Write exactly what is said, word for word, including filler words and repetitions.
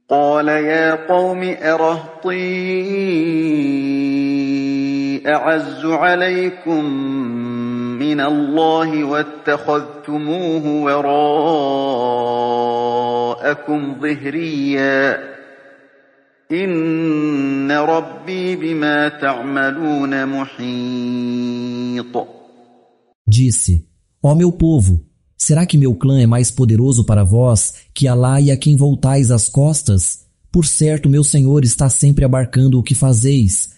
قال يا قوم أرهطي أعز عليكم من الله واتخذتموه وراءكم ظهريا إن ربي بما تعملون محيط. Disse: Ó meu povo, será que meu clã é mais poderoso para vós que Alá e a quem voltais as costas? Por certo, meu Senhor está sempre abarcando o que fazeis,